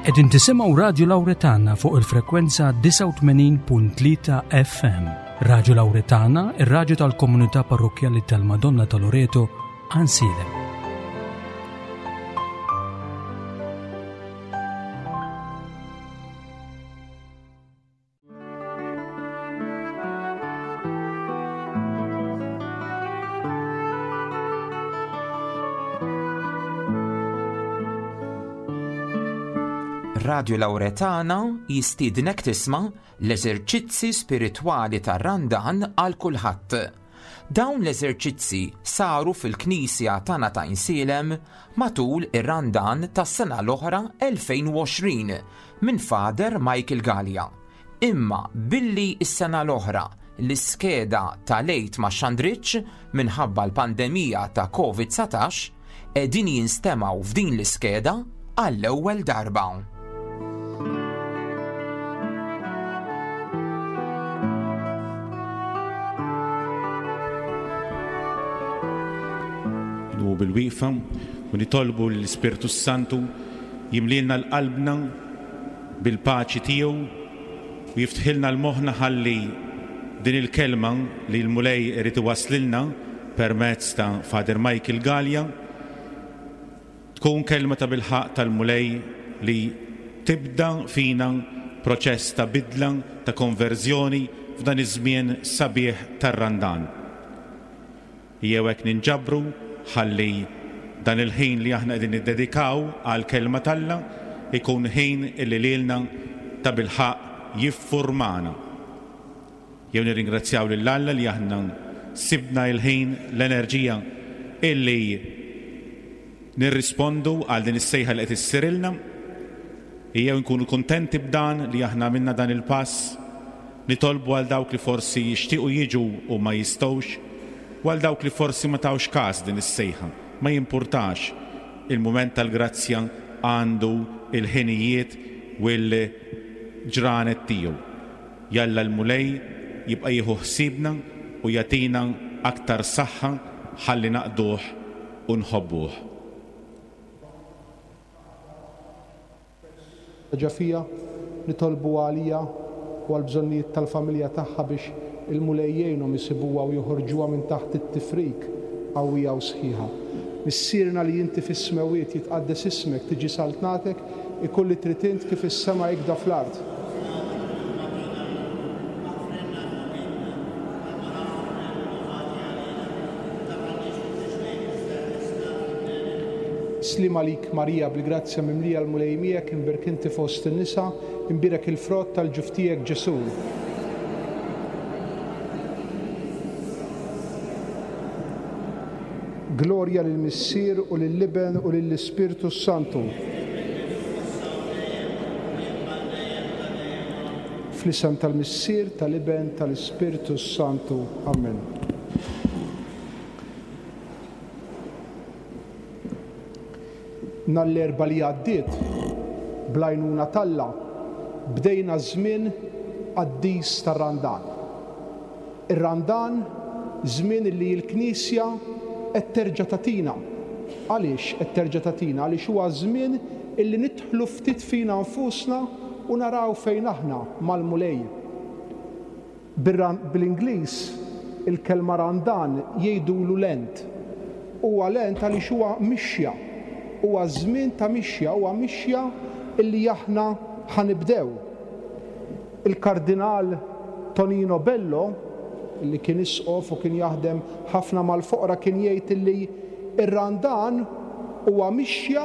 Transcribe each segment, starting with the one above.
Qegħdin tisimgħu Radju Lawretana fuq il-frekwenza 89.3 FM. Radju Lawretana, ir-radju tal-komunità parrokkjali tal-Madonna ta' Loreto, Għansielem. Radio Lauretana jistiednek tisma' l-eżerċizzi spiritwali tar-Randan għal kulħadd. Dawn l-eżerċizzi saru fil-Knisja tagħna ta' Insielem matul ir-Randan tas-sena l-oħra 2020 minn Father Michael Galea. Imma billi s-sena l-oħra l-iskeda tal-Għid ma xxandritx minħabba l-pandemija ta' Covid 19, qegħdin jinstemgħu f'din l-iskeda għall-ewwel darba. Nqumu bil-wieqfa u nitolbu lill-Ispirtu s-Santu jimlielna l-qalbna bil-paċi tiegħu u jiftħilna l-moħħna ħalli din il-kelma li l-Mulej irid iwasslilna permezz ta' Father Michael Galea tkun kelma tabilħaqq tal-Mulej li tibda fina proċess ta' bidla, ta' konverżjoni f'dan iż-żmien sabiħ tar-Randan. Ejjew hekk ninġabru ħalli dan il-ħin li aħna qegħdin niddedikaw għall-Kelma t'Alla jkun ħin illi lilna tabilħaqq jiffurmana. Jew nirringrazzjaw lil Alla li aħna sibna l-ħin, l-enerġija illi nirrispondu għal din is-sejħa li qed issirilna. Ejjew inkunu kuntenti b'dan li aħna għamilna dan il-pass. Nitolbu għal dawk li forsi jixtiequ jiġu u ma jistgħux, u għal dawk li forsi ma tawx kas din is-sejħa. Ma jimpurtax, il-mument tal-grazzja għandu l-ħinijiet u l-ġranet tiegħu. Jalla l-Mulej jibqa' jieħu ħsiebna u jagħtina aktar saħħa ħalli naqduh u nħobbuh. Ħaġa fiha, nitolbu għaliha u għall-bżonnijiet tal-familja tagħha biex il-Mulej jgħinhom isibuha u joħorġuha minn taħt it-tifrik qawwija u sħiħa. Missierna li inti fis-smewwiet, jitqaddes ismek, tiġi saltnatek, ikun li trid int kif fis-sema hekda fl-art. Sliem għalik Marija bil-grazzja mimlija l-Mulej miegħek imbierk inti fost in-nisa, imbierek il-frott tal-ġuf tiegħek Ġesù. Glorja lill-Missier u lill-Iben u lill-Ispirtu s-Santu. Fl-isem tal-Missier, tal-Iben, tal-Ispirtu s-Santu. Amen. Nhar l-Erbgħa li għaddiet, bl-għajnuna t'Alla, bdejna ż-żmien qaddis tar-Randan. Ir-Randan, żmien li l-Knisja qed terġa' tagħtina. Għaliex qed terġa' tagħtina? Għaliex huwa żmien illi nidħlu ftit fina nfusna u naraw fejn aħna mal-Mulej. Bl-Ingliż il-kelma Randan jgħidulu Lent. Huwa Lent għaliex huwa mixja. Huwa żmien ta' mixja, huwa mixja illi aħna ħa nibdew. Il-Kardinal Tonino Bello, illi kien isqof u kien jaħdem ħafna mal-foqra kien jgħid illi r-Randan huwa mixja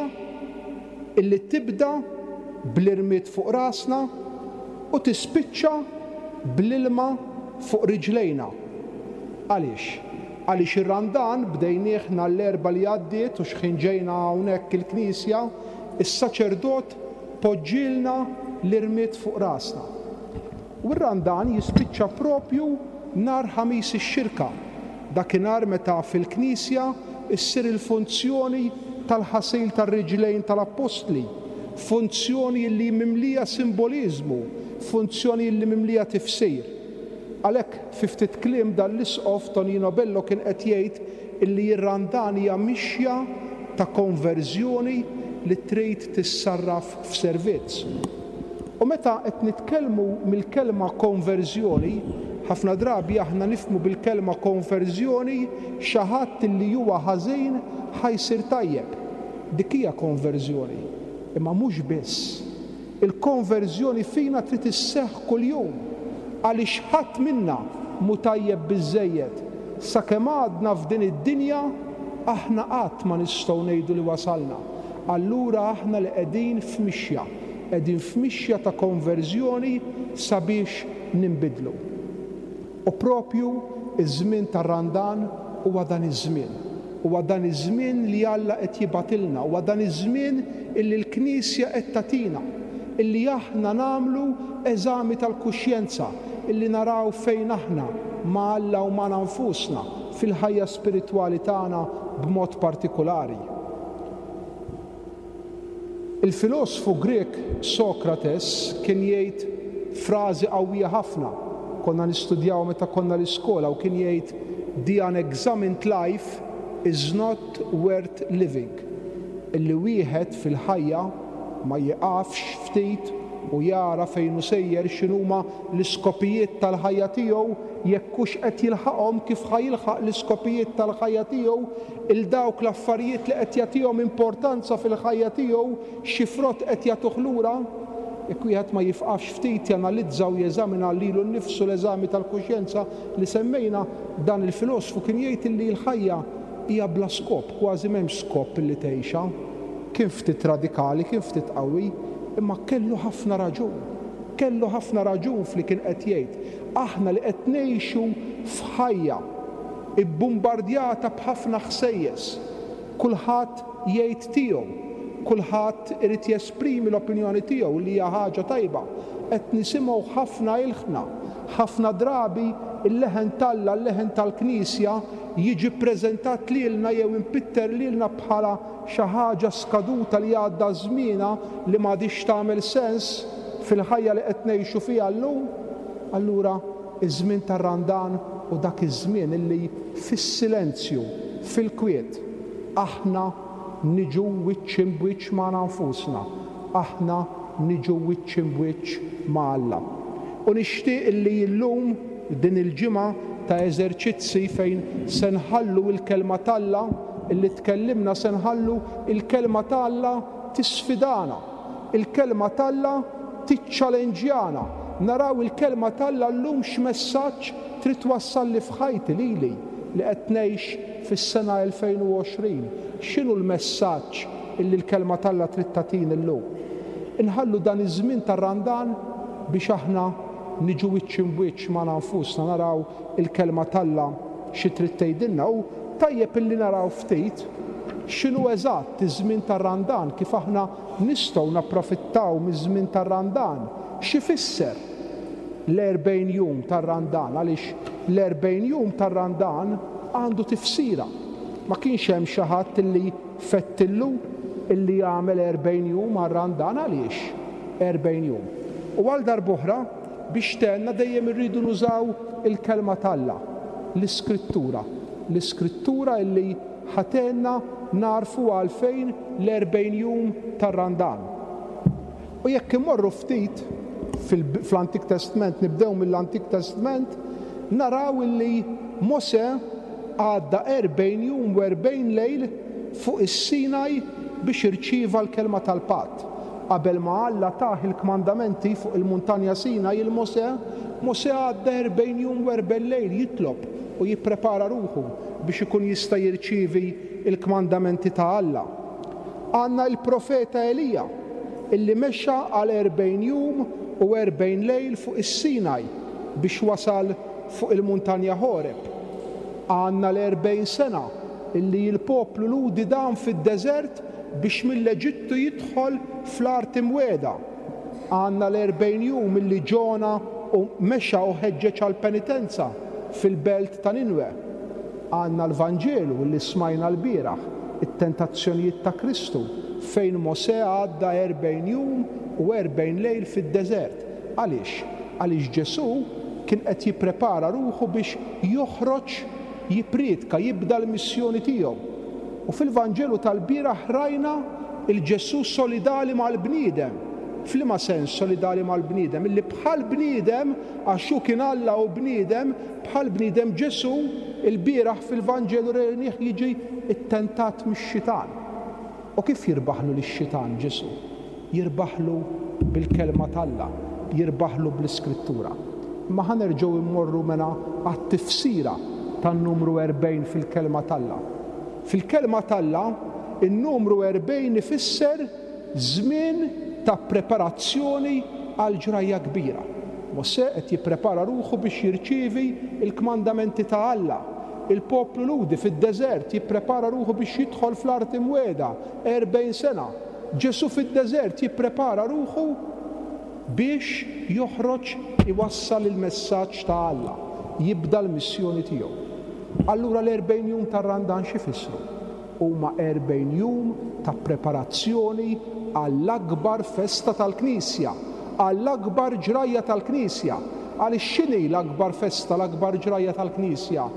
illi tibda bl-irmied fuq rasna u tispiċċa bl-ilma fuq riġlejna. Għaliex? Għaliex ir-Randan bdejnieh nhar l-Erbgħa li għaddiet u x'ħin ġejna hawnhekk il-knisja, is-saċerdot poġġielna l-irmied fuq rasna. U r-Randan jispiċċa propju nhar Ħamis ix-Xirka, dakinhar meta fil-knisja ssir il-funzjoni tal-ħasil tar-riġlejn tal-appostli, funzjoni li mimlija simboliżmu, funzjoni li mimlija tifsir. Għalhekk, fi ftit kliem dan l-Isqof Tonino Bello kien qed jgħid illi r-Randan hija mixja ta' konverżjoni. li trid tissarraf f'servizz. U meta qed nitkellmu mill-kelma konverżjoni, ħafna drabi aħna nifhmu bil-kelma konverżjoni xi ħadd li huwa ħażin ħa jsir tajjeb. Dik hija konverżjoni. Imma mhux biss. Il-konverżjoni fina trid isseħħ kuljum, għaliex ħadd minna mhu tajjeb biżżejjed. Sakemm għadna f'din id-dinja, aħna qatt ma nistgħu ngħidu li wasalna. Allura aħna li qegħdin f'mixja, qegħdin f'mixja ta' konverżjoni sabiex ninbidlu. U proprju ż-żmien tar-Randan huwa dan iż-żmien. Huwa dan iż-żmien li Alla qed jibgħatilna, huwa dan iż-żmien illi l-Knisja qed tagħtina, illi aħna nagħmlu eżami tal-kuxjenza, illi naraw fejn aħna ma' Alla u magħna nfusna fil-ħajja spiritwali tagħna b'mod partikulari. Il-filosfu Grieg Sokrates kien jgħid frażi qawwija ħafna, konna nistudjawha meta konna l-iskola u kien jgħid the unexamined life is not worth living, illi wieħed fil-ħajja ma jieqafx ftit u jara fejn hu sejjer, x'inhuma l-iskopijiet tal-ħajja tiegħu, jekk hux qed jilħaqhom, kif ħa jilħaq l-iskopijiet tal-ħajja tiegħu, 'il dawk l-affarijiet li qed jagħtihom importanza fil-ħajja tiegħu, xi frott qed jagħtuh lura? Jekk wieħed ma jifqafx ftit janalizza u jeżamina lilu nnifsu l-eżami tal-kuxjenza li semmejna, dan il-filosfu kien jgħid illi l-ħajja hija bla skop, kważi m'hemmx skop illi tgħixha. Kien ftit radikali, kien ftit qawwi, imma kellu ħafna raġun. Kellu ħafna raġun f'li kien qed jgħid. Aħna li qed ngħixu f'ħajja ibbumbardjata b'ħafna ħsejjes. Kulħadd jgħid tiegħu. Kulħadd irid jesprimi l-opinjoni tiegħu li hija ħaġa tajba. Qed nisimgħu ħafna ilħna. Ħafna drabi l-leħen t'Alla, l-leħen tal-Knisja jiġi ppreżentat lilna jew impitter lilna bħala xi ħaġa skaduta li għadda żmienha li m'għadhiex tagħmel sens fil-ħajja li qed ngħixu fiha llum. Allura Iż-żmien tar-Randan hu dak iż-żmien illi fis-silenzju, fil-kwiet, aħna niġu wiċċ imb'wiċċ magħna nfusna, aħna niġu wiċċ imb'wiċċ ma' Alla. U nixtieq illi illum, din il-ġimgħa ta' eżerċizzi fejn se nħallu l-Kelma t'Alla illi tkellimna, se nħallu l-Kelma ta' Alla tisfidana, Il-Kelma t'Alla tiċċalenġjana. Naraw il-Kelma t'Alla llum x'messaġġ trid twassalli f'ħajti lili li qed ngħix fis-sena 2020. X'inhu l-messaġġ illi l-Kelma t'Alla trid tagħtini llum? Inħallu dan iż-żmien tar-Randan biex aħna niġu wiċċ imb'wiċċ magħna nfusna naraw il-Kelma t'Alla xi trid tgħidilna. U tajjeb illi naraw ftit x'inhu eżatt iż-żmien tar-Randan, kif aħna nistgħu napprofittaw miż-żmien tar-Randan, x'ifisser l-erbgħin jum tar-Randan, għaliex l-erbgħin jum tar-Randan għandu tifsira. Ma kienx hemm xi ħadd illi fettillu illi jagħmel erbgħin jum għar-Randan, għaliex erbgħin jum? U għal darb'oħra, Biex tgħinna dejjem irridu nużaw il-Kelma t'Alla, l-Iskrittura. L-Iskrittura illi ħa tgħinna nagħrfu għalfejn l-erbgħin jum tar-Randan. U jekk immorru ftit fl-Antik Testment, nibdew mill-Antik Testment, naraw illi Mosè għadda erbgħin jum u erbgħin lejl fuq is-Sinaj biex irċieva l-Kelma tal-Patt. Qabel ma Alla tah il-kmandamenti fuq il-Muntanja Sinaj 'il Mosè, Mosè għadda erbgħin jum u erbgħin lejl jitlob u jipprepara ruħu biex ikun jista' jirċievi l-kmandamenti ta' Alla. Għandna il-profeta Elija, illi mexa għal erbgħin jum u erbgħin lejl fuq is-Sinaj biex wasal fuq il-Muntanja Ħoreb. Għandna l-erbgħin sena illi l-poplu Lhudi dam fid-deżert biex mill-Eġittu jidħol fl-Art Imwiegħda. Għandna l-erbgħin jum milli Ġona u mexa u ħeġġeġ għall-penitenza fil-belt ta' Ninwe. Għandna l-Vanġelu li smajna lbieraħ, it-tentazzjonijiet ta' Kristu, fejn Mosè għadda erbgħin jum u erbgħin lejl fid-deżert. Għaliex? Għaliex Ġesù kien qed jipprepara ruħu biex joħroġ jippriedka, jibda l-missjoni tiegħu. U fil-Vanġelu tal-bieraħ rajna Il-Ġesù solidali mal-bniedem. F'liema sens solidali mal-bniedem? Illi bħall-bniedem, għax hu kien Alla u bniedem, bħall-bniedem Ġesù lbieraħ fil-Vanġelu rejnih jiġi ttentat mix-xitan. U kif jirbaħlu lix-xitan Ġesù? Jirbaħlu bil-Kelma t'Alla, jirbaħlu bl-Iskrittura. Imma ħa nerġgħu mmorru mela għat-tifsira tan-numru 40 fil-Kelma t'Alla. Fil-Kelma t'Alla, in-numru 40 ifisser żmien ta' preparazzjoni għal ġrajja kbira. Mosè qed jipprepara ruħu biex jirċievi l-kmandamenti ta' Alla. Il-poplu Lhudi fid-deżert jipprepara ruħu biex jidħol fl-Art Imwiegħda, 40 sena. Ġesù fid-deżert jipprepara ruħu biex joħroġ iwassal il-messaġġ ta' Alla, jibda l-missjoni tiegħu. Allura l-erbgħin jum tar-Randan x'ifissru? Huma 40 jum ta' preparazzjoni għall-akbar festa tal-Knisja, għall-akbar ġrajja tal-Knisja. Għaliex x'inhi l-akbar festa, l-akbar ġrajja tal-Knisja?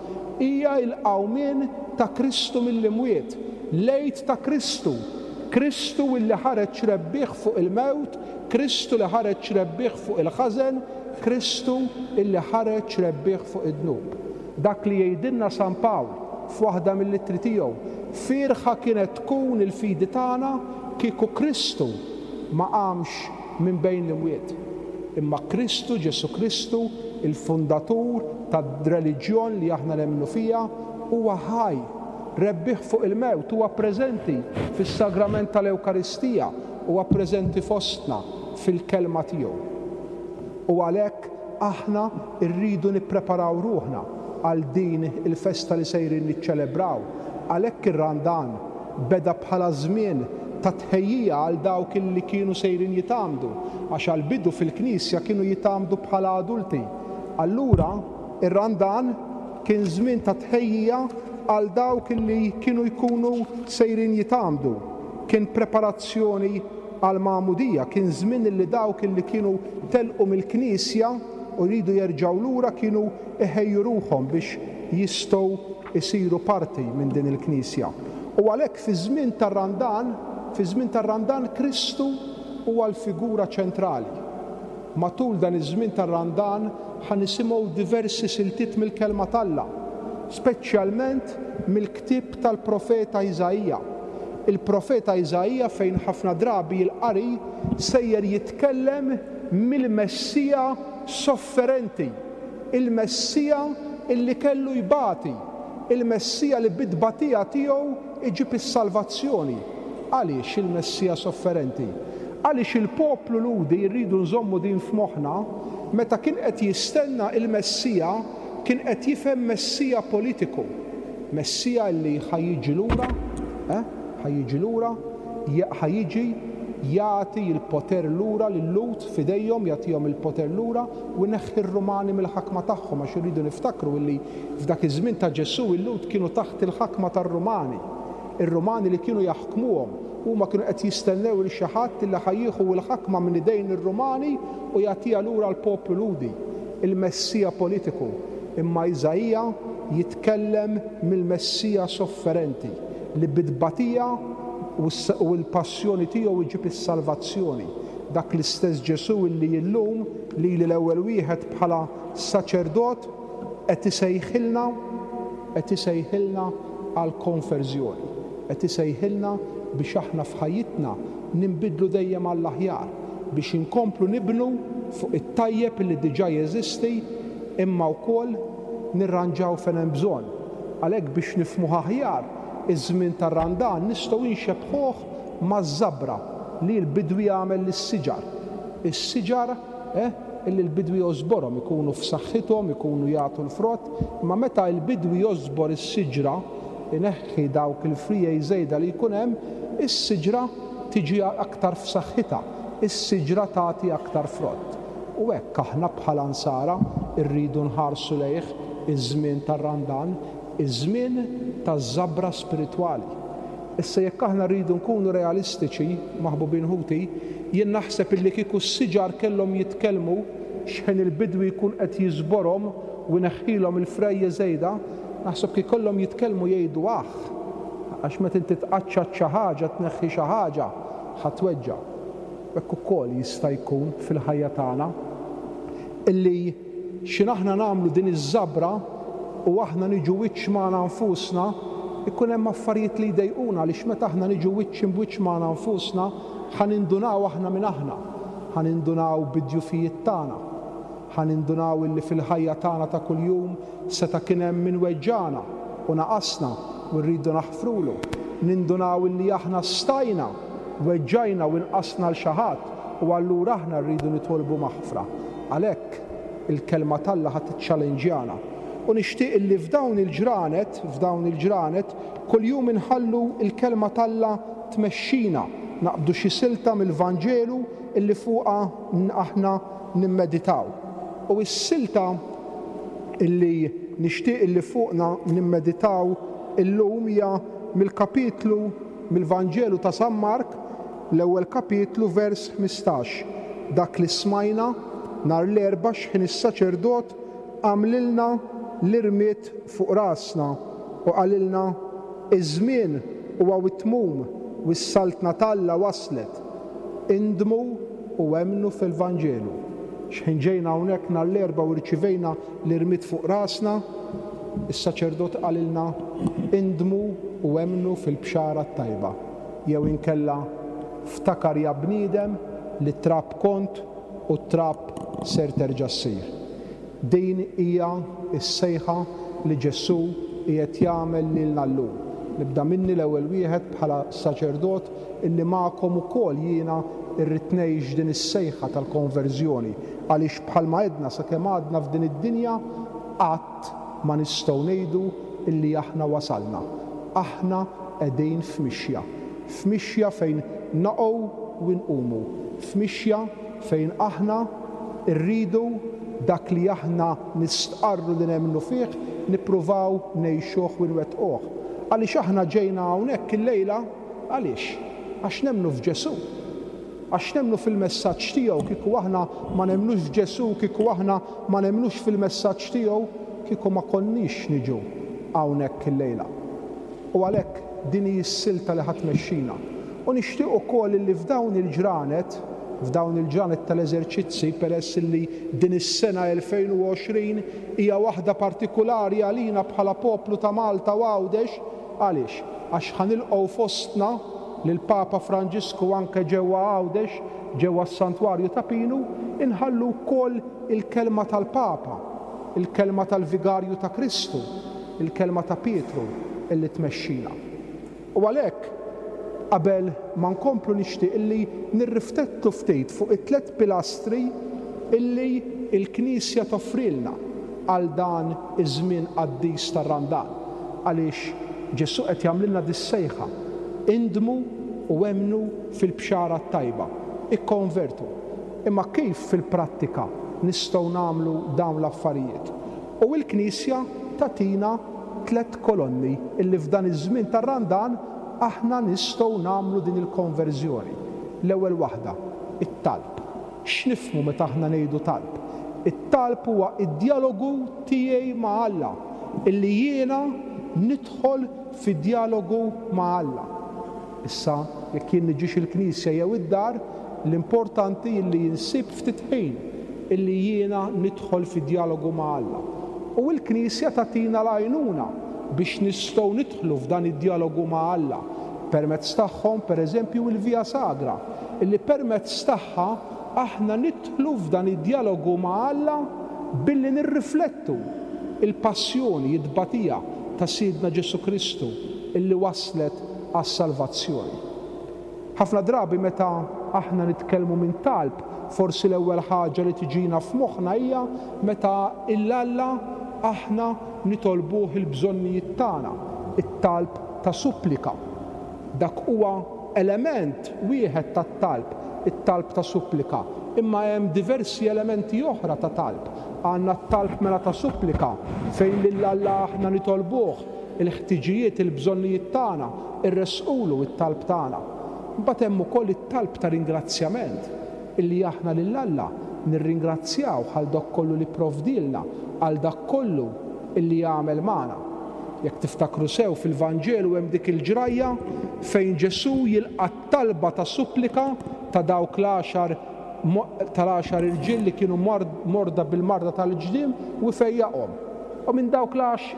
Hija l-qawmien ta' Kristu mill-imwiet, l-Għid ta' Kristu, Kristu illi ħareġ rebbieħ fuq il-mewt, Kristu li ħareġ rebbieħ fuq il-ħażen, Kristu illi ħareġ rebbieħ fuq id-dnub. Dak li jgħidilna San Pawl f'waħda mill-ittri tiegħu, Fierħa kienet tkun il-fidi tagħna kieku Kristu ma qamx minn bejn l-imwiet. Imma Kristu, Ġesù Kristu, il-fundatur tad-reliġjon li aħna nemmnu fiha, huwa ħaj, rebbieħ fuq il-mewt, huwa preżenti fis-sagrament tal-Ewkaristija, huwa preżenti fostna fil-Kelma tiegħu. U għalhekk aħna rridu nippreparaw ruħna għal din il-festa li sejrin niċċelebraw. Għalhekk ir-Randan beda bħala żmien ta' tħejjija għal dawk illi kienu sejrin jitgħammdu, għax għall-bidu fil-Knisja kienu jitgħammdu bħala adulti. Allura r-Randan kien żmien ta' tħejjija għal dawk illi kienu jkunu sejrin jitgħammdu. Kien preparazzjoni għall-magħmudija, kien żmien illi dawk illi kienu telqu mill-Knisja u jridu jerġgħu lura kienu iħejju ruħhom biex jistgħu jsiru parti minn din il-Knisja. U għalhekk fiż-żmien tar-Randan, fiż-żmien tar-Randan Kristu huwa l-figura ċentrali. Matul dan iż-żmien tar-Randan ħa nisimgħu diversi siltiet mill-Kelma t'Alla, speċjalment mill-ktieb tal-profeta Iżaija. Il-profeta Iżaija fejn ħafna drabi l-qari sejjer jitkellem mill-Messija sofferenti, il-Messija illi kellu jbati, il-Messija li bit-tbatija tiegħu jġib is-salvazzjoni. Għaliex il-Messija sofferenti? Għaliex il-poplu Lhudi, irridu nżommu din f'moħħna, meta kien qed jistenna il-Messija, kien qed jifhem Messija politiku. Messija li ħa jiġi lura, eh, ħa jiġi lura, ħa jiġi jagħti l-poter lura lil-Lhud f'idejhom, jagħtihom il-poter lura u jneħħi r-Rumani mill-ħakma tagħhom għax irridu niftakru illi f'dak iż-żmien ta' Ġesù il-Lhud kienu taħt il-ħakma tar-Rumani. Ir-Rumani li kienu jaħkmuhom. Huma kienu qed jistennew 'il xi ħadd illi ħa jieħu l-ħakma minn idejn ir-Rumani u jagħtiha lura l-poplu Lhudi, il-Messija politiku. Imma Iżaija jitkellem mill-Messija sofferenti, li bit-tbatija u l-passjoni tiegħu jġib is-salvazzjoni. Dak l-istess Ġesù illi illum, lili l-ewwel wieħed bħala saċerdot, qed isejħilna, qed isejħilna għall-konverżjoni. Qed isejħilna biex aħna f'ħajjitna ninbidlu dejjem għall-aħjar, biex inkomplu nibnu fuq it-tajjeb li diġà jeżisti imma wkoll nirranġaw fejn hemm bżonn. Għalhekk biex nifhmuh aħjar, iż-żmien tar-Randan nistgħu inxebbħuh maż-żabra li l-bidwi jagħmel lis-siġar. Is-siġar, eh, illi l-bidwi jogħżborhom, ikunu f'saħħithom, ikunu jagħtu l-frott, imma meta l-bidwi jogħżbor is-siġra, ineħħi dawk il-friegħi żejda li jkun hemm, is-siġra tiġi aktar f'saħħitha, is-siġra tagħti aktar frott. U hekk aħna bħala Nsara rridu nħarsu lejh iż-żmien tar-Randan, iż-żmien taż-żabra spiritwali. Issa jekk aħna rridu nkunu realistiċi, maħbubin ħuti, jien naħseb illi kieku s-siġar kellhom jitkellmu x'ħin il-bidwi jkun qed jiżborhom u jneħħilhom il-frejje żejda, naħseb kieku kellhom jitkellmu jgħidu aħ! Għax meta inti tqaċċat xi ħaġa, tneħħi xi ħaġa, ħa tweġġa'. Hekk ukoll jista' jkun fil-ħajja tagħna illi x'in aħna nagħmlu din iż-żabra u aħna niġu wiċċ magħna nfusna, ikun hemm affarijiet li jdejquna għaliex meta aħna niġu wiċċ imb'wiċċ magħna nfusna ħa nindunaw aħna min aħna, ħa nindunaw bid-djufijiet tagħna, ħa nindunaw illi fil-ħajja tagħna ta' kuljum Seta' kien hemm min weġġagħna u naqasna u rridu naħfrulu. Nindunaw illi aħna stajna weġġajna u inqasna 'l xi ħadd u allura aħna rridu nitolbu maħfra. Għalhekk, il-Kelma t'Alla ħa tiċċalenġjana. U nixtieq illi f'dawn il-ġranet, f'dawn il-ġranet, kuljum inħallu l-Kelma t'Alla tmexxina, naqbdu xi silta mill-Vanġelu illi fuqha aħna nimmeditaw. U s-silta illi nixtieq illi fuqna nimmeditaw illum hija mill-kapitlu mill-Vanġelu ta' San Mark, l-ewwel kapitlu vers 15, dak li smajna nhar l-Erbgħa x'ħin is-saċerdot għamlilna l-irmied fuq rasna u qalilna, Iż-żmien huwa wit-tmum u s-saltna t'Alla waslet. Indmu u emmnu fil-Vanġelu. X'ħin ġejna hawnhekk nhar l-Erbgħa u rċivejna l-irmied fuq rasna, is-saċerdot qalilna, Indmu u emmnu fil-Bxara t-Tajba. Jew inkella, Ftakar ja bniedem li trab kont u trab ser terġa' ssir. Din hija s-sejħa li Ġesù qiegħed jagħmel lilna llum. Nibda minni l-ewwel wieħed bħala saċerdot illi magħkom ukoll jiena rrid ngħix din is-sejħa tal-konverżjoni għaliex bħalma għedna sakemm għadna f'din id-dinja qatt ma nistgħu ngħidu illi aħna wasalna. Aħna qegħdin f'mixja. F'mixja fejn naqgħu u nqumu. F'mixja fejn aħna rridu dak li aħna nistqarru li nemmnu fih nippruvaw ngħixuh u nwettquh. Għaliex aħna ġejna hawnhekk illejla? Għaliex? Għax nemmnu f'Ġesù. Għax nemmnu fil-messaġġ tiegħu. Kieku aħna ma nemmnux f'Ġesù, kieku aħna ma nemmnux fil-messaġġ tiegħu, kieku ma konniex niġu hawnhekk illejla. U għalhekk din hi s-silta li ħa tmexxina. U nixtieq ukoll illi f'dawn il-ġranet, f'dawn il-ġranet tal-eżerċizzi, peress illi din is-sena 2020 hija waħda partikulari għalina bħala poplu ta' Malta u Għawdex, għaliex? Għax ħa nilqgħu fostna lill-Papa Franġisku anke ġewwa Għawdex, ġewwa s-Santwarju ta' Pinu, inħallu wkoll il-kelma tal-Papa, il-kelma tal-Vigarju ta' Kristu, il-kelma ta' Pietru illi tmexxina. U għalhekk, qabel ma nkomplu nixtieq illi nirriftettu ftit fuq it-tlett pilastri illi l-Knisja toffrilna għal dan iż-żmien qaddis tar-Randan. Għaliex Ġesù qed jagħmlilna dis-sejħa, Indmu u emmnu fil-Bxara t-Tajba, ikkonvertu. Imma kif fil-prattika nistgħu nagħmlu dawn l-affarijiet? U l-Knisja tagħtina tlett kolonni illi f'dan iż-żmien tar-Randan aħna nistgħu nagħmlu din il-konverżjoni. L-ewwel waħda, it-talb. X'nifhmu meta aħna ngħidu talb? It-talb huwa d-djalogu tiegħi ma' Alla, illi jiena nidħol fi djalogu ma' Alla. Issa, jekk jien niġix il-knisja jew id-dar, l-importanti illi insib ftit ħin illi jiena nidħol fi djalogu ma' Alla. U l-Knisja tagħtina l-għajnuna biex nistgħu nidħlu f'dan id-djalogu ma' Alla. Permezz tagħhom, per eżempju, il-Via Sagra, illi permezz tagħha aħna nidħlu f'dan id-djalogu ma' Alla billi nirriflettu l-passjoni, it-tbatija ta' Sidna Ġesù Kristu illi wasslet għas-salvazzjoni. Ħafna drabi meta aħna nitkellmu minn talb, forsi l-ewwel ħaġa li tiġina f'moħħna hija meta 'l Alla aħna nitolbuh il-bżonnijiet tagħna, it-talb ta' supplika. Dak huwa element wieħed tat-talb, it-talb ta' supplika, imma hemm diversi elementi oħra ta' talb. Għandna t-talb mela ta' supplika, fejn lil Alla aħna nitolbuh il-ħtiġijiet, il-bżonnijiet tagħna, irressqulu t-talb tagħna. Imbagħad hemm ukoll it-talb ta' ringrazzjament, illi aħna lil Alla nirringrazzjawh għal dak kollu li pprovdielna, għal dak kollu illi għamel magħna. Jekk tiftakru sew fil-Vanġelu hemm dik il-ġrajja fejn Ġesù jilqa' t-talba ta' supplika ta' dawk l-għaxar tal-għaxar irġiel li kienu morda bil-marda tal-ġdiem u jfejjaqhom. U minn dawk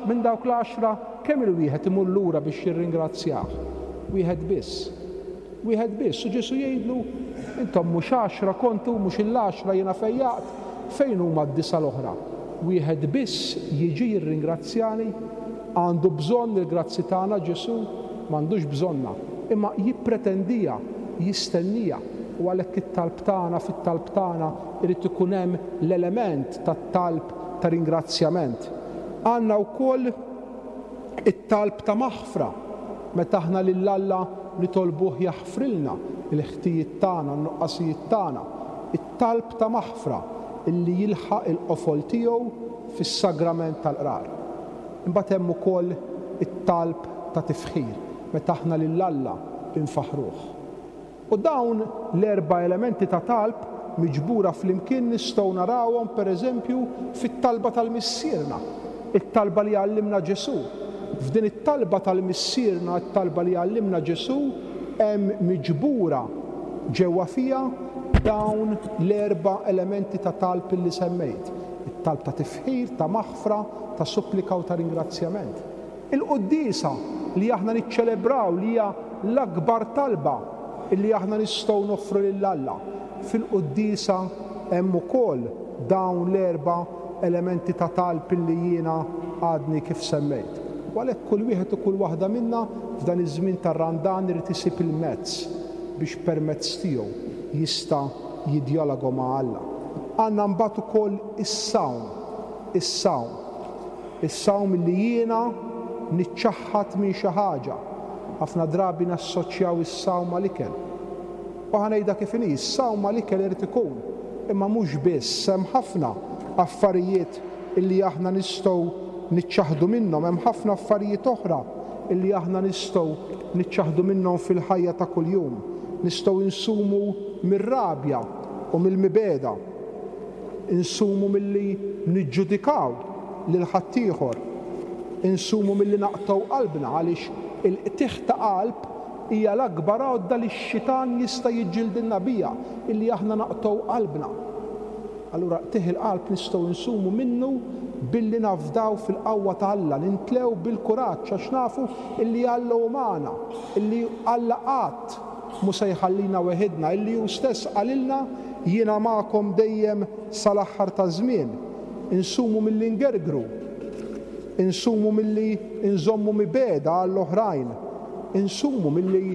minn dawk l-għaxra kemm-il wieħed imur lura biex jirringrazzjah? Wieħed biss. Wieħed biss. U Ġesù jgħidlu, Intom mhux għaxra kontu, mhux il-għaxra jiena fejjaqt? Fejn huma d-disgħa l-oħra? Wieħed biss jiġi jirringrazzjani? Għandu bżonn il-grazzi tagħna Ġesù? M'għandux bżonnha. Imma jippretendiha, jistenniha. U għalhekk it-talb tagħna, fit-talb tagħna irid ikun hemm l-element tat-talb ta' ringrazzjament. Għandna wkoll it-talb ta' maħfra, meta aħna lil Alla nitolbuh jaħfrilna l-ħtijiet tagħna, n-nuqqasijiet tagħna. It-talb ta' maħfra illi jilħaq il-qofol tiegħu fis-sagrament tal-Qrar. Imbagħad hemm ukoll it-talb ta' tifħir, meta aħna lil Alla nfaħħruh. U dawn l-erba' elementi ta' talb miġbura flimkien nistgħu narawhom, per eżempju, fit-talba tal-Missierna, it-talba li għallimna Ġesù. F'din it-talba tal-Missierna, it-talba li għallimna Ġesù, hemm miġbura ġewwa fiha dawn l-erba' elementi ta' talb li semmejt, it-talb ta' tifħir, ta' maħfra, ta' supplika u ta' ringrazzjament. Il-quddiesa li aħna niċċelebraw li hija l-akbar talba li aħna nistgħu noffru lil Alla. Fil-quddiesa hemm ukoll dawn l-erba' elementi ta' talb li jiena għadni kif semmejt. U għalhekk kull wieħed u kull waħda minna f'dan iż-żmien tar-Randan irid isib il-mezz biex permezz tiegħu jista' jiddjaloga ma' Alla. Għandna mbagħad ukoll is-sawm, is-sawm. Is-sawm li jiena niċċaħħad minn xi ħaġa. Ħafna drabi nassoċjaw is-sawm mal-ikel. U ħa ngħidha kif inhi, is-sawm mal-ikel irid ikun, imma mhux biss, hemm ħafna affarijiet illi aħna nistgħu niċċaħħdu minnhom, hemm ħafna affarijiet oħra illi aħna nistgħu niċċaħħdu minnhom fil-ħajja ta' kuljum. Nistgħu nsumu mir-rabja u mill-mibegħda. Insumu milli niġġudikaw lil ħaddieħor. Insumu milli naqtgħu qalbna għaliex il-qtigħ ta' qalb hija l-akbar għodda li x-xitan jista' jiġġildilna biha, illi aħna naqtgħu qalbna. Allura qtigħ il-qalb nistgħu nsumu minnu billi nafdaw fil-qawwa ta' Alla, nintlew bil-kuraġġ għax nafu illi Alla hu magħna, illi Alla qatt mhu se jħallina weħidna, illi hu stess qalilna, Jiena magħkom dejjem sal-aħħar taż-żmien. Insumu milli ngergru. Insumu milli nżommu mibegħda għall-oħrajn. Insumu milli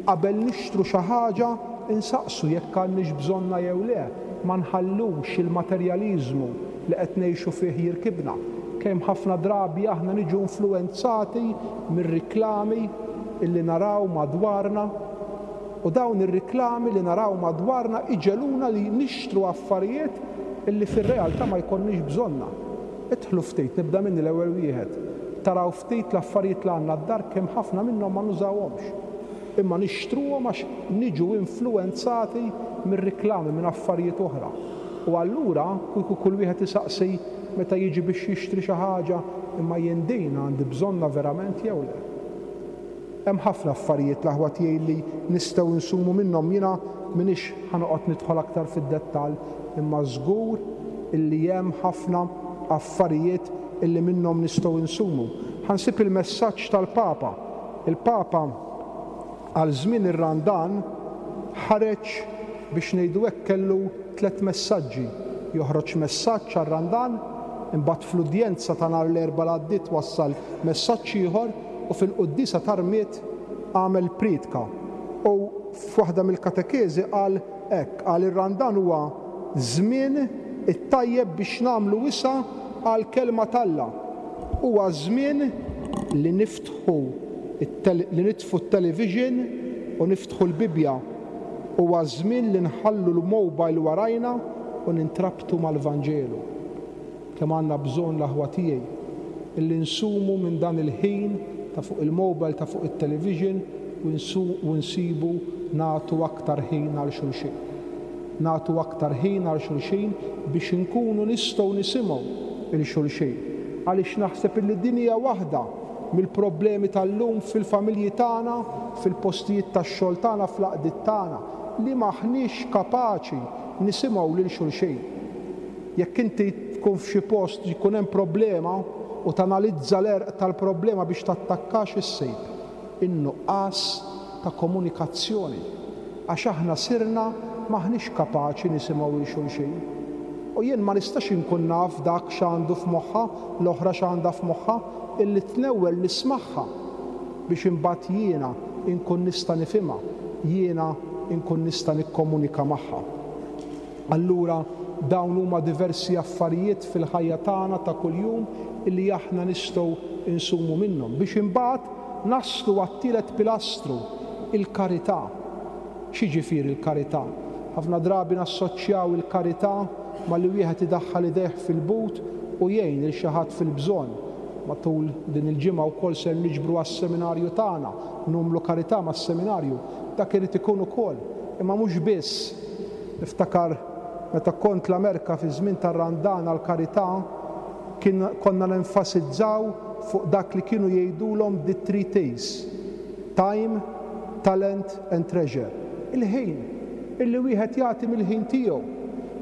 qabel nixtru xi ħaġa nsaqsu jekk għandniex bżonnha jew le. Ma nħallux il-materjaliżmu li qed ngħixu fih jirkibna. Kemm ħafna drabi aħna niġu influwenzati mir-riklami illi naraw madwarna u dawn ir-riklami li naraw madwarna iġegħluna li nixtru affarijiet illi fir-realtà ma jkollniex bżonnha. Idħlu ftit, nibda minni l-ewwel wieħed, taraw ftit l-affarijiet li għandna d-dar kemm ħafna minnhom ma nużawhomx. Imma nixtruhom għax niġu influwenzati mir-riklami, minn affarijiet oħra. U allura kieku kull wieħed isaqsi meta jiġi biex jixtri xi ħaġa, imma jien din għandi bżonnha verament jew le? Hemm ħafna affarijiet l-aħwa tiegħi li nistgħu nsumu minnhom, jiena m'iniex ħa noqgħod nidħol aktar fid-dettall, imma żgur illi hemm ħafna affarijiet illi minnhom nistgħu nsumu. Ħa nsib il-messaġġ tal-Papa. Il-Papa għal żmien ir-Randan ħareġ biex ngħidu hekk kellu tlett messaġġi. Joħroġ messaġġ għar-Randan, imbagħad fl-udjenza ta' nhar l-Erbgħa l-għaddiet wassal messaġġ ieħor, u fil-quddiesa tar-rmied għamel prietka u f'waħda mill-katekeżi qal hekk, qal ir-Randan huwa żmien it-tajjeb biex nagħmlu wisa' għall-Kelma t'Alla. Huwa żmien li niftħu li nitfu t-television u niftħu l-Bibbja. Huwa żmien li nħallu l-mobile warajna u nintrabtu mal-Vanġelu. Kemm għandna bżonn l-aħwa tiegħi illi nsumu minn dan il-ħin ta' fuq il-mobile, ta' fuq it-television u nsibu nagħtu aktar ħin għal xulxin. Nagħtu aktar ħin għal xulxin biex inkunu nistgħu nisimgħu 'l xulxin. Għaliex naħseb illi din hija waħda. mill-problemi tal-lum fil-familji tagħna, fil-postijiet tax-xogħol tagħna, fl-għaqdiet tagħna, li m'aħniex kapaċi nisimgħu lil xulxin. Jekk inti tkun f'xi post jkun hemm problema u tanalizza l-għerq tal-problema biex tattakka x'issib? In-nuqqas ta' komunikazzjoni. Għax aħna sirna m'aħniex kapaċi nisimgħu 'l xulxin. U jien ma nistax inkun naf dak x'għandu f'moħħha, l-oħra x'għandha f'moħħha, illi tnewwel nismagħha biex imbagħad jiena nkun nista' nifhimha, jiena nkun nista' nikkomunika magħha. Allura dawn huma diversi affarijiet fil-ħajja tagħna ta' kuljum illi aħna nistgħu nsumu minnhom biex imbagħad naslu għat-tielet pilastru, il-karità. X'jiġifieri l-karità? Ħafna drabi nassoċjaw il-karità malli wieħed idaħħal idejh fil-but u jgħin lil xi ħadd fil-bżonn. Matul din il-ġimgħa wkoll ser niġbru għas-seminarju tagħna, numlu karità mas-seminarju. Dak irid ikun ukoll, imma mhux biss. Niftakar meta kont l-Amerka fiż-żmien tar-Randan għall-karità, kien konna nenfasizzaw fuq dak li kienu jgħidulhom the three T's, time, talent and treasure. Il-ħin, illi wieħed jagħti mill-ħin tiegħu,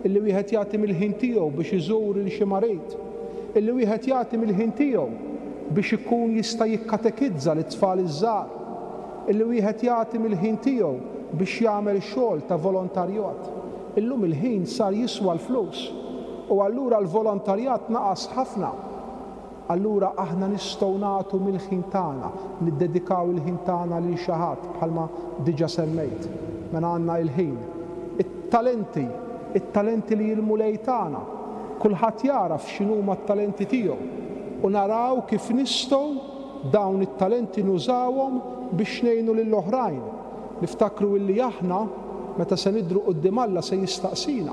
illi wieħed jagħti mill-ħin tiegħu biex iżur lil xi marid, illi wieħed jagħti mill-ħin tiegħu biex ikun jista' jikkatekizza lit-tfal iż-żgħar, Illi wieħed jagħti mill-ħin tiegħu biex jagħmel xogħol ta' volontarjat. Illum il-ħin sar jiswa l-flus u allura l-volontarjat naqas ħafna. Allura aħna nistgħu nagħtu mill-ħin tagħna, niddedikaw il-ħin tagħna lil xi ħadd bħalma diġa semmejt. Mela għandna il-ħin. It-talenti, it-talenti li l-Mulej tana. Kulħadd jagħraf x'inhuma t-talenti tiegħu u naraw kif nistgħu Dawn it-talenti nużawhom biex ngħinu lil oħrajn. Niftakru illi aħna, meta se nidhru quddiem Alla se jistaqsina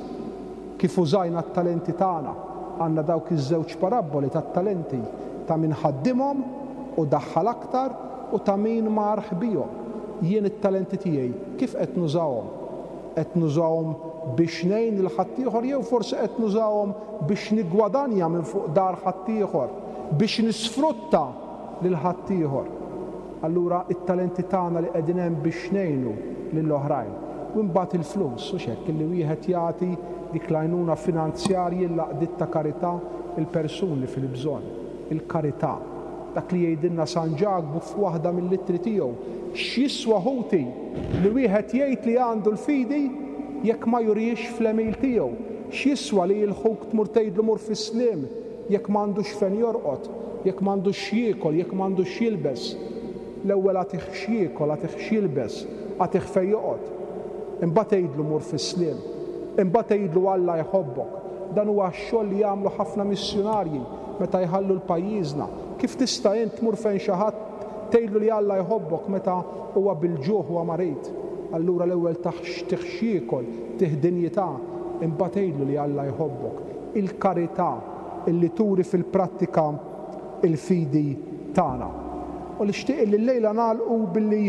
kif użajna t-talenti tagħna. Għandna dawk iż-żewġ parabboli tat-talenti, ta' min ħaddimhom u daħħal aktar u ta' min mar ħbihom. Jien it-talenti tiegħi kif qed nużahom? Qed nużahom biex ngħin lil ħaddieħor jew forsi qed nużahom biex niggwadanja minn fuq dahar ħaddieħor, biex nisfrutta lil ħaddieħor? Allura t-talenti tagħna li qegħdin hemm biex ngħinu lil oħrajn. U imbagħad il-flus, hux hekk, illi wieħed jagħti dik l-għajnuna finanzjarji l-għaqdiet ta' karità, il-persuni fil-bżonn. Il-karità. Dak li jgħidilna San Ġakbu f'waħda mill-ittri tiegħu, X'jiswa ħuti li wieħed jgħid li għandu l-fidi jekk ma jurihiex fl-għemil tiegħu? X'jiswa li 'l ħuk tmur tgħidlu mur fis-sliem jekk m'għandux fejn jorqod, jekk m'għandux x'jiekol, jekk m'għandux x'jilbes? L-ewwel agħtih x'jiekol, agħtih x'jilbes, agħtih fejn joqgħod. Imbagħad għidlu mur fis-sliem. Imbagħad għidlu Alla jħobbok. Dan huwa x-xogħol li jagħmlu ħafna missjunarji meta jħallu 'l pajjiżna. Kif tista' int tmur fejn xi ħadd tgħidlu li Alla jħobbok meta huwa bil-ġuħ huwa marid? Allura l-ewwel tah tih x'jiekol, tih dinjità, imbagħad għidlu li Alla jħobbok. Il-karità illi turi fil-prattika l-fidi tagħna. U nixtieq illi llejla nagħlqu billi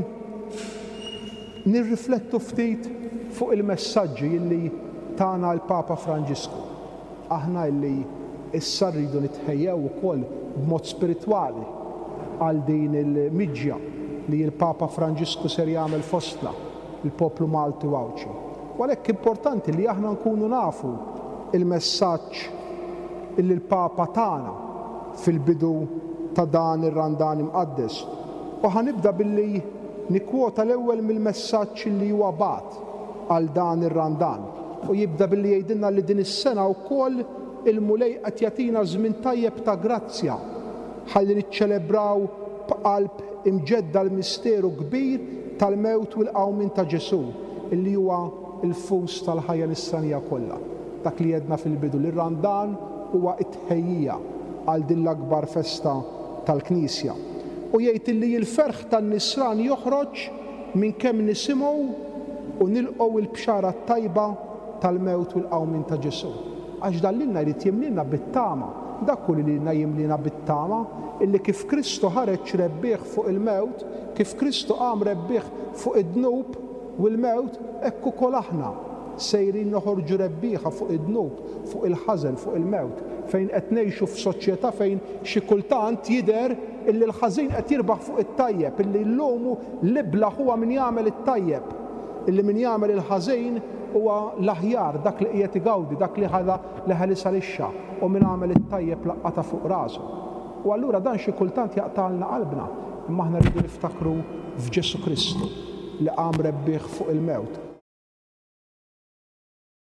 nirriflettu ftit fuq il-messaġġi illi tana l-Papa Franġisku. Aħna illi issa rridu nitħejjew ukoll b'mod spiritwali għal din il-miġja li l-Papa Franġisku ser jagħmel fostna, il-poplu Malti u Għawdxi. U għalhekk importanti li aħna nkunu nafu l-messaġġ illi l-Papa tana fil-bidu ta' dan ir-Randan Imqaddes. U ħa nibda billi nikkwota l-ewwel mill-messaġġ illi huwa bagħat għal dan ir-Randan. U jibda billi jgħidilna li din is-sena wkoll il-Mulej qed jagħtina żmien tajjeb ta' grazzja ħalli niċċelebraw b'qalb imġedda l-misteru kbir tal-mewt u l-qawmien ta' Ġesù, illi huwa l-fus tal-ħajja nisranija kollha. Dak li għedna fil-bidu, li r-Randan huwa t-tħejjija għal din l-akbar festa tal-Knisja. U jgħid illi l-ferħ tan-nisran joħroġ minn kemm nisimgħu u nilqgħu l-bxara t-tajba tal-mewt u l-qawmien ta' Ġesù. Għax dan lilna jrid jimliena bit-tama. Dak hu li lilna jimliena bit-tama, illi kif Kristu ħareġ rebbieħ fuq il-mewt, kif Kristu qam rebbieħ fuq id-dnub u l-mewt, hekk ukoll aħna. Sejrin noħorġu rebbieħa fuq id-dnub, fuq il-ħażen, fuq il-mewt, fejn qed ngħixu f'soċjetà fejn xi kultant jidher illi l-ħażin qed jirbaħ fuq it-tajjeb, illi llum l-iblah huwa min jagħmel it-tajjeb, illi min jagħmel il-ħażin huwa l-aħjar, dak li qiegħed igawdi, dak li ħadha li ħelisha lixxa, u min għamel it-tajjeb laqqatha fuq rasu. U allura dan xi kultant jaqtgħalna qalbna, imma aħna rridu niftakru f'Ġesù Kristu li qam rebbieħ fuq il-mewt.